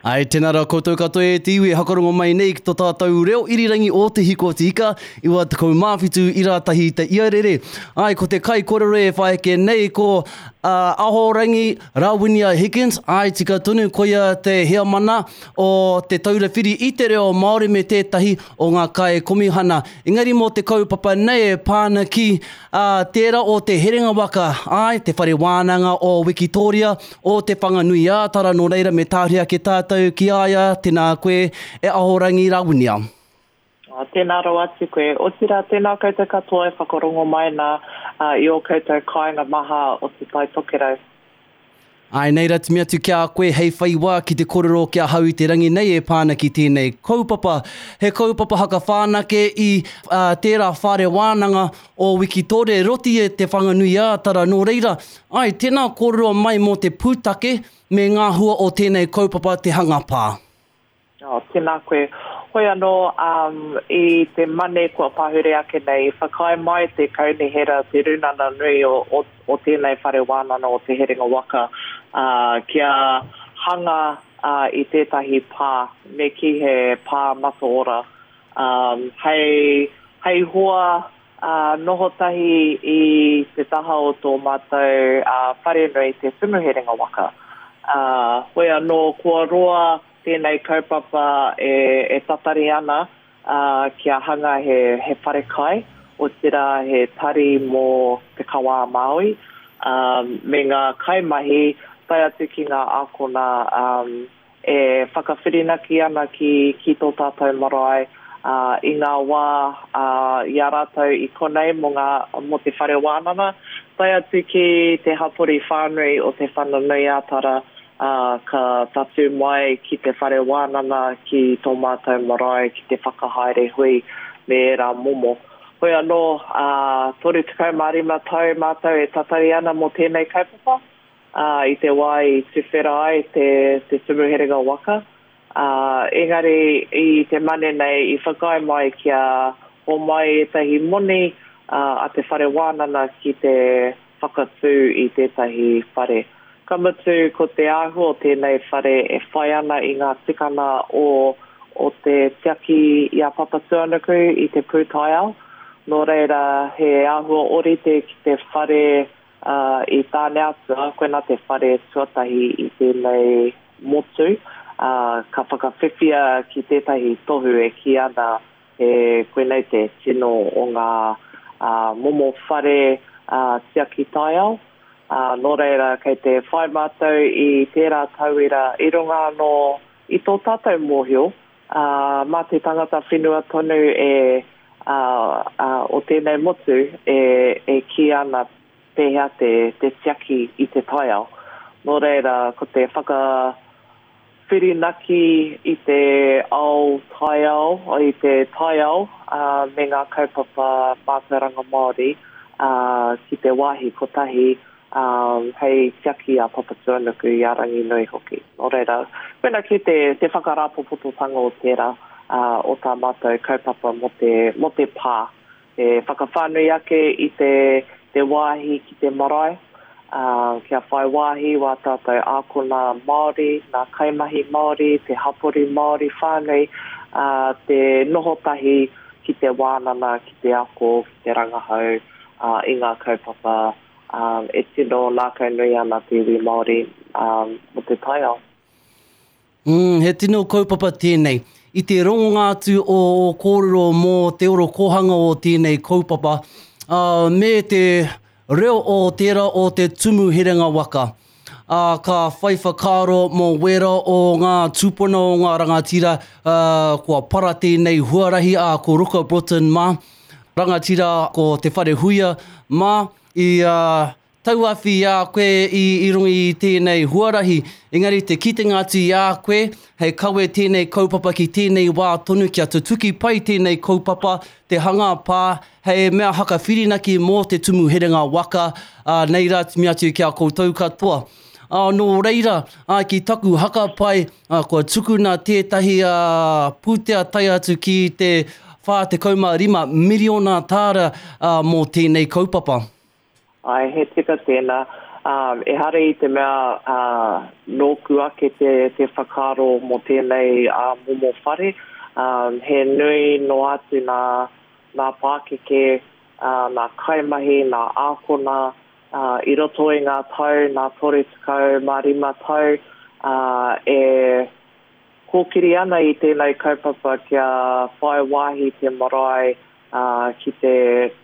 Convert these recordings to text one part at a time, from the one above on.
Ai, tēnā rā koutou katoa e te iwi e hakarongo mai nei ki to tātou reo irirangi o Te Hiko o Te Ika, 97 i rātahi te iarere. Ai, ko te kai korero e whaeke nei ko uh, Ahorangi Rawinia Higgins, ai tika tonu koia te heamana o Te Taura Whiri i te Reo Māori me tētahi o ngā kai komihana. Engari mō te kaupapa nei e pāna ki Ā, tērā o Te Herenga Waka, āe, te whare wānanga o Wikitōria, o Te Whanganui-ā-Tara, nō reira me tāhuri ake tātou ki a ia, tēnā koe, e Ahorangi Rawinia. Ā, tēnā rawa atu koe. Otirā, tēnā koutou katoa e whakarongo mai nā i ō koutou kāinga maha o Te Tai Tokerau. Āe nei ra timi atu ki a koe hei whai wā ki te korero ki ahau i te rangi nei e pā ana ki tēnei kaupapa. He kaupapa hakawhānake i tērā whare wānanga o Wikitore Roti e Te Whanganui-ā-Tara nō reira, āe, tēnā kōrero mai mō te pūtake me ngā hua o tēnei kaupapa te hanga pā. Oh, tēnā koe. Hoi anō, um, i te Mane kua pahure ake nei, i whakaae mai te kaunihera, te rūnana nui o, o, o tēnei whare wānana o Te Herenga Waka, uh, kia hanga uh, i tētahi pā, me kī he pā mataora, um, hei, hei hoa uh, noho tahi i te taha o tō mātou uh, wharenui, Te Tumu Herenga Waka. Uh, hoi anō, kua roa tēnei kaupapa e tatari ana kia hanga he wharekai, otirā he tari mō Te Kawa a Māui, me ngā kaimahi tae atu ki ngā ākona e whakawhirinaki ana ki tō tātou marae i ngā wā i a rātou i konei mō te whare wānanga, tae atu ki te hapori whānui o Te Whanganui-a-Tara ā, ka tatū mai ki te whare wānanga, ki tō mātou marae ki te whakahaere hui me ērā momo. Hoi anō, ā, 35 tau mātou e tatari ana mō tēnei kaupapa, ā, i te wā i tuwhera ai te, te Tumu Herenga Waka, ā, engari i te Mane nei i whakaae mai kia homai ētahi moni, ā, a te whare wānanga ki te whakatū i tētahi whare. Ka mutu, ko te āhua o tēnei whare e whai ana i ngā tikanga o o te tiaki i a Papatūānuku i te pūtaiao, nō reira he āhua ōrite ki te whare i Tāneatua, koinā te whare tuatahi i tēnei motu, ka whakawhiwhia ki tētahi tohu e kī ana He koinei te tino o ngā momo whare tiaki taiao. Nō reira, kei te whai mātou i tērā tauira i runga anō i tō tātou mōhio, mā te tangata whenua tonu e o tēnei motu e kī ana pēhea te tiaki i te taiao. Nō reira, ko te whaka Whirinaki i te ao taiao, i te taiao me ngā kaupapa mātauranga Māori ki te wāhi kotahi hei tiaki i a Papatūānuku, i a Ranginui hoki. Nō reira, koina kē te whakarāpopototanga o tērā, o tā mātou kaupapa mō te pā. Te whakawhānui ake i te te wāhi ki te marae, ā, kia whai wāhi wā tātou ākona Māori, ngā kaimahi Māori, te hapori Māori whānui, ā, te noho tahi ki te wānanga, ki te ako, ki te rangahau, ā, i ngā kaupapa, ā, e tino ngākaunui ana te iwi Māori, ā, mō te taiao. Mm, he tino kaupapa tēnei. I te rongonga atu o ō kōrero mō te orokōhanga o tēnei kaupapa, uh, me te reo o tērā o te tumu herenga waka, uh, ka whai whakaaro mō wērā o ngā tūpuna o ngā rangatira uh, kua para tēnei huarahi, ā, ko Ruka Broughton mā, rangatira ko Te Wharehuia mā, i uh, Tauawhi i a koe i runga i tēnei huarahi, engari te kitenga atu i a koe, hei kawe tēnei kaupapa ki tēnei wā tonu kia tutuki pai tēnei kaupapa, te hanga pā, hei mea hakawhirinaki mō te tumu herenga waka, ā, nei rā timi atu ki a koutou katoa. Ā, nō reira, ā, ki taku hakapai, ā, kua tukuna tētahi, ā, pūtea tae atu ki te 45 miriona tāra, ā, mō tēnei kaupapa. Āe, he tika tēnā. Ehara i te mea nōku ake te whakaaro mō tēnei momo whare, he nui noa atu nā pākeke, nā kaimahi, nā ākona i roto i ngā tau, nā 35 tau e kōkiri ana i tēnei kaupapa kia whai wāhi te marae ki te,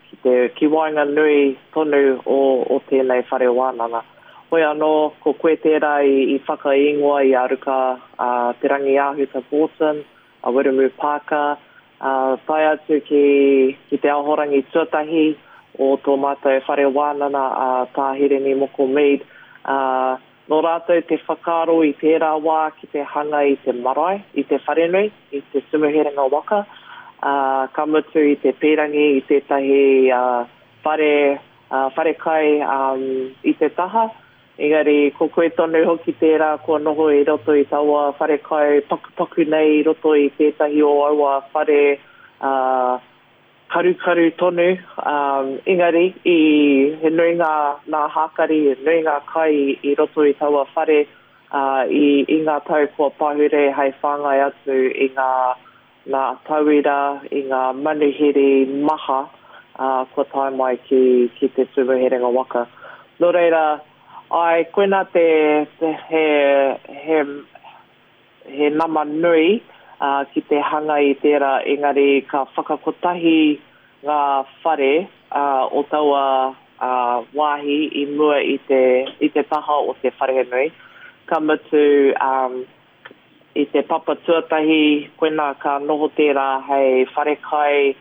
ki te, ki waenganui tonu o, o tēnei whare wānanga. Hoi anō, ko koe tērā i, i whakaīngoa i a Ruka a Te Rangiāhuta Broughton, a Wiremu Parker, ā, tae atu ki, ki te ahorangi tuatahi o tō mātou whare wānana a Tā Hirini Moko Mead, ā, Nō rātou te whakaaro i tērā wā ki te hanga i te marae, i te wharenui, i Te Tumuherenga Waka, ā, ka mutu i te pīrangi i tētahi whare, wharekai i te taha. Engari ko koe tonu hoki tērā kua noho i roto i taua wharekai pakupaku nei i roto i tētahi o aua whare, ā, Karukaru tonu, engari i he nui ngā nā hākari, he nui ngā kai i roto i taua whare i i ngā tau kua pahure hei whāngai atu i ngā nā tauira, i ngā manuhiri maha kua tae mai ki ki Te Tumu Herenga Waka. Nō reira, āe, koinā te he he He nama nui ki te hanga i tērā engari ka whakakotahi ngā whare o taua wāhi i mua i te i te taha o te wharenui. Ka mutu i te papa tuatahi koinā ka noho tērā hei wharekai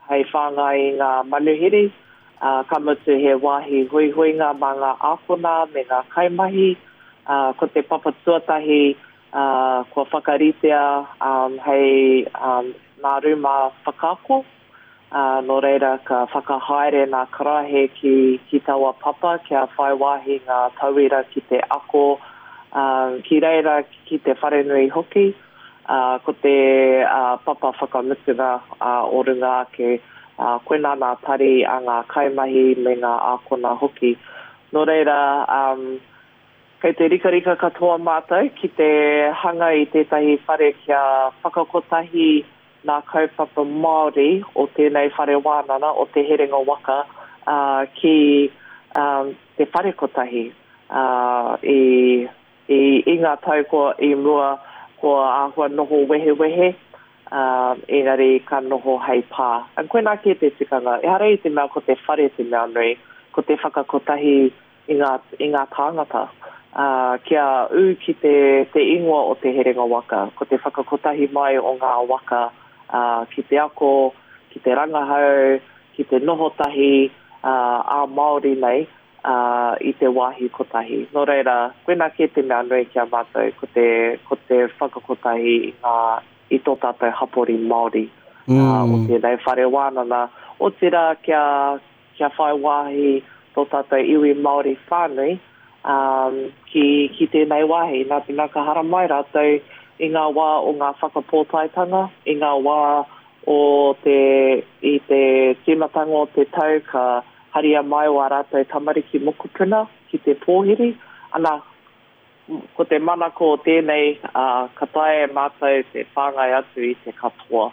hei whāngai i ngā manuhiri, ā, ka mutu he wāhi huihuinga mā ngā ākona me ngā kaimahi, ā, ko te papa tuatahi, ā, kua whakaritea, ā, hei, ā, ngā rūma whakaako, ā, nō reira ka whakahaere ngā karaehe ki, ki taua papa kia whai wāhi ngā tauira ki te ako, ā, ki reira, ki te wharenui hoki. Ā, ko te papa whakamutunga o runga ake, ā, koinā nā tari a ngā kaimahi me ngā ākona hoki. Nō reira, kei te rikarika katoa mātou ki te hanga i tētahi whare kia whakakotahi ngā kaupapa Māori o tēnei whare wānana, o Te Herenga Waka, ā, ki te whare kotahi, ā, i I, i ngā tau kua, i mua, kua āhua noho wehewehe, ā, engari ka noho hei pā. And koinā kē te tikanga, ehara i te mea ko te whare te mea nui, ko te whakakotahi i ngā, i ngā tāngata, ā, kia ū ki te, te ingoa o Te Herenga Waka, ko te whakakotahi mai o ngā waka, ā, ki te ako, ki te rangahau, ki te noho tahi, ā, ā-Māori nei, ā, i te wāhi kotahi. Nō reira, koinā kē te mea nui ki a mātou, ko te, ko te whakakotahi i ngā, i tō tātou hapori Māori, ā, o tēnei whare wānanga, otirā kia, kia whai wāhi tō tātou iwi Māori whānui, ā, ki, ki tēnei wāhi. Nā te mea ka haramai rātou i ngā wā o ngā whakapōtaetanga, i ngā wā o te, i te tīmatanga o te tau ka haria mai wā rātou tamariki mokopuna ki te pōhiri, ana, ko te manako o tēnei, ā, ka taea e mātou te whāngai atu i te katoa,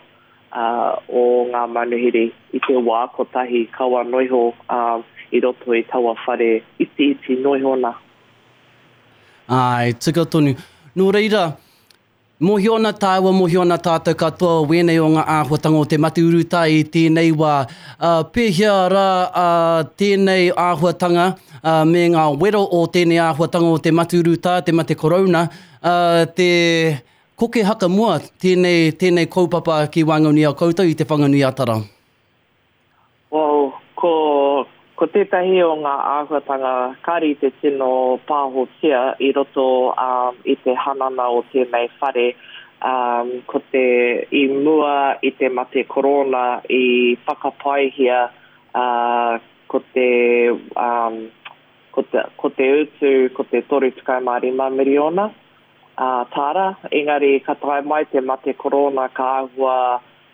ā, o ngā manuhiri i te wā kotahi, kaua noiho, ā, i roto i taua whare itiiti noiho nā. Āe, tika tonu. Nō reira, Mōhio ana tāua, mōhio ana tātou katoa o wēnei o ngā āhuatanga o te mate urutā i tēnei wā. Ā, pēhea rā ā, tēnei āhuatanga ā, me ngā wero o tēnei āhuatanga o te mate urutā, te mate korouna, ā, te koke hakamua tēnei, tēnei kaupapa ki waenganui i a koutou i Te Whanganui-a-Tara? Well, ko, ko tētahi o ngā āhuatanga kāre i te tino pāhotia i roto um, i te hanana o tēnei whare, um, ko te, i mua i te mate korona i whakapaehia uh, ko te, um, ko te, ko te utu ko te 35 miriona uh, tāra, engari ka tae mai te mate korona ka āhua.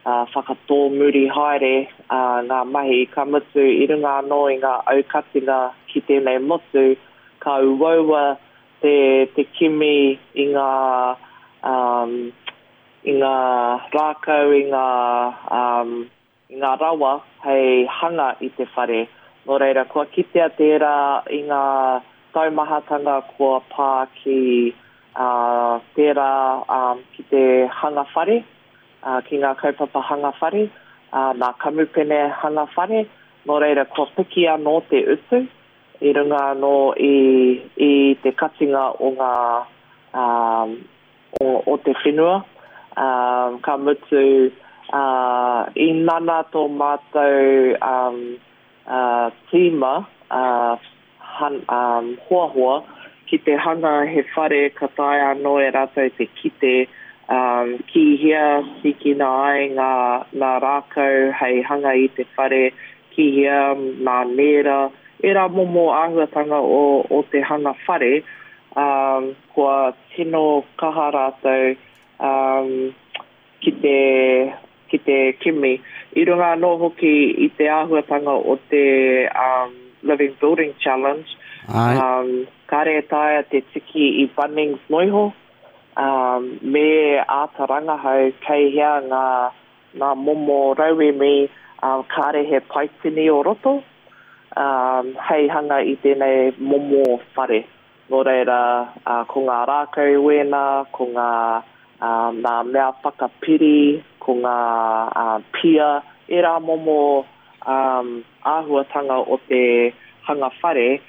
Whakatōmuri haere ngā mahi, ka mutu i runga anō i ngā aukatinga ki tēnei motu, ka uaua te, te kimi i ngā, i ngā rākau, i ngā, i ngā rawa hei hanga i te whare. Nō reira, kua kitea tērā i ngā taumahatanga kua pā ki tērā ki te hanga whare, ki ngā kaupapa hanga whare, nā kamupene hanga whare. Nō reira, kua piki anō te utu i runga anō i te katinga o ngā o te whenua, ā, ka mutu, ā, i nana tō mātou, ā, ā, tīma, ā, han, ā, hoahoa ki te hanga he whare ka taea anō e rātou te kite, ā, ki hea tīkina ai ngā, ngā rākau hei hanga i te whare, ki hea ngā nēra, ērā momo āhuatanga o, o te hanga whare, ā, kua tino kaha rātou ki te, ki te kimi. I runga anō hoki i te āhuatanga o te Living Building Challenge, kāre e taea te tiki i Bunnings noiho, me āta rangahau kei hea ngā, ngā momo rauemi kāre he paitini o roto, hei hanga i tēnei momo whare. Nō reira, ko ngā rākau wēnā, ko ngā, ngā mea whakapiri, ko ngā pia, ērā momo āhuatanga o te hanga whare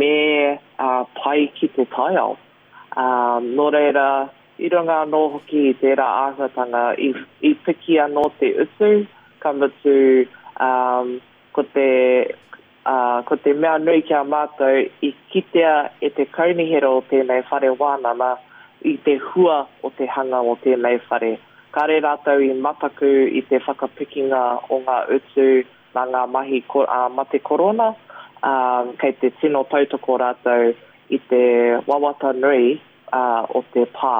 me pai ki te taiao. Nō reira, i runga anō hoki i tērā āhuatanga, i piki anō te utu, ka mutu, ko te Ā, ko te mea nui ki a mātou, i kitea e te kaunihera o tēnei whare wānana i te hua o te hanga o tēnei whare. Kāre rātou i mataku i te whakapikinga o ngā utu nā ngā mahi mate korona, ā, kei te tino tautoko rātou i te wawata nui o te pā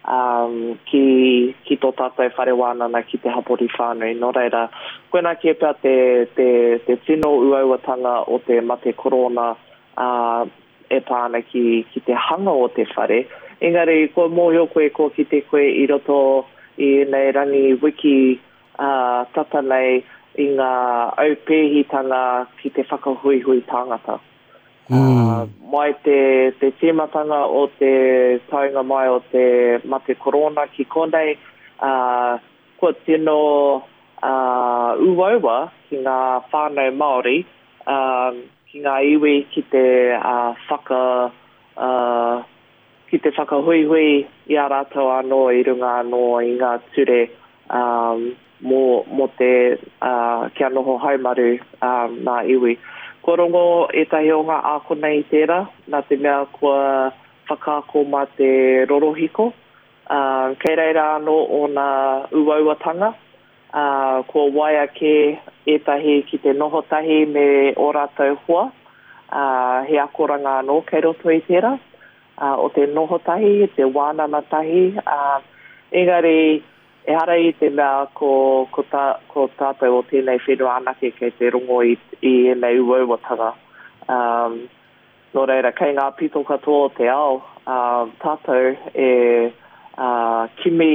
ki, ki tō tātou whare wānana ki te hapori whānui. Nō reira, koinā kē pea te, te, te tino uauatanga o te mate korona e pā ana ki, ki te hanga o te whare. Engari, kua mōhio koe, kua kite koe i roto i ēnei rangi wiki tata nei i ngā aupēhitanga ki te whakahuihui tāngata. Mm. Mai te, te tīmatanga o te taunga mai o te mate korona ki konei, uh, kua tino uh, uaua ki ngā whānau Māori, uh, ki ngā iwi ki te uh, whaka, uh, ki te whakahuihui i a rātou anō i runga anō i ngā ture um, mō, mō te, uh, kia noho haumaru um, ngā iwi. Kua rongo ētahi o ngā ākona i tērā, nā te mea kua whakaako mā te rorohiko. Uh, kei reira anō ōna uauatanga, uh, kua waia kē ētahi ki te noho tahi me ō rātou hoa, uh, he akoranga anō kei roto i tērā, uh, o te noho tahi, te wānana tahi, uh, engari ehara i te mea ko, ko, tā, ko tātou o tēnei whenua anake kei te rongo i, i ēnei uauatanga. Um, nō reira, kei ngā pito katoa o te ao, uh, tātou e uh, kimi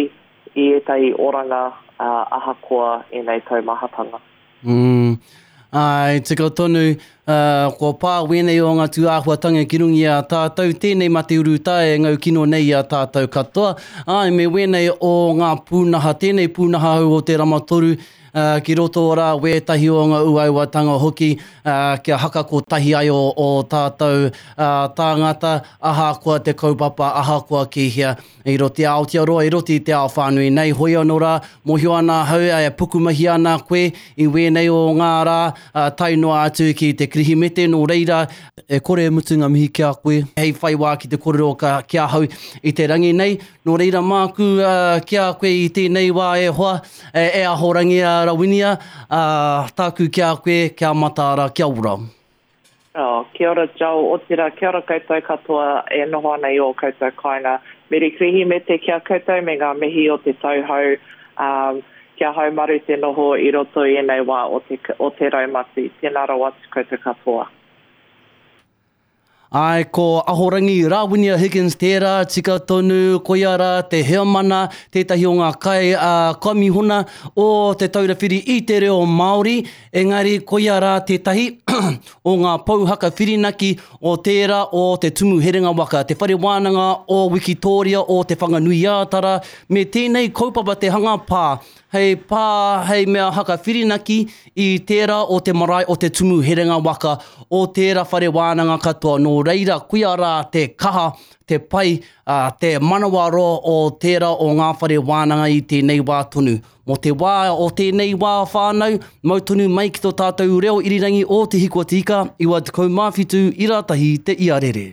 i ētahi oranga ahakoa ēnei taumahatanga. Mm. Āe, tika tonu, uh, kua pā wēnei o ngā tūāhuatanga ki runga i a tātou, tēnei mate urutā e ngau kino nei i a tātou katoa. Āe, me wēnei o ngā pūnaha, tēnei pūnaha hou o te rama toru, uh, ki roto rā wētahi o ngā uauatanga hoki, uh, kia haka kotahi ai o, o tātou uh, tāngata, ahakoa te kaupapa, ahakoa ki hea. I roto i a Aotearoa, i roto i te ao whānui nei, hoi anō rā, mōhio ana ahau e pukumahi ana koe i wēnei o ngā rā, tae noa atu ki te Kirihimete, nō reira, e kore e mutu ngā mihi ki a koe, hei whai wā ki te kōrero ki ahau i te rangi nei, nō reira māku ki a koe i tēnei wā e hoa, e Ahorangi a Rawinia, tāku ki a koe, kia mataara, kia ora. Oh, kia ora Joel, otira kia ora koutou katoa e noho ana i ō koutou kāinga. Meri Kirihimete ki a koutou me ngā mihi o te tau hou. Um, Kia haumaru te noho i roto i ēnei wā o te, o te raumati. Tēnā rawa atu koutou katoa. Āe, ko Ahorangi Rawinia Higgins tērā, tika tonu, koia rā te heamana, tētahi o ngā kai a Komihona o Te Taura Whiri i te Reo Māori, engari koia rā tētahi o ngā pou haka whirinaki o tērā o Te Tumu Herenga Waka, Te Whare Wānanga o Wikitōria o Te Whanganui-ā-Tara, me tēnei kaupapa te hanga pā, hei pā, hei mea haka whirinaki i tērā o te marae o Te Tumu Herenga Waka, o tērā whare wānanga katoa. Nō reira, koia rā te kaha, te pai, ā, te manawaroa o tērā o ngā whare wānanga i tēnei wā tonu. Mō te wā o tēnei wā whānau, mau tonu mai ki tō tātou reo irirangi o Te Hiku o Te Ika, 97 ira tahi te iarere.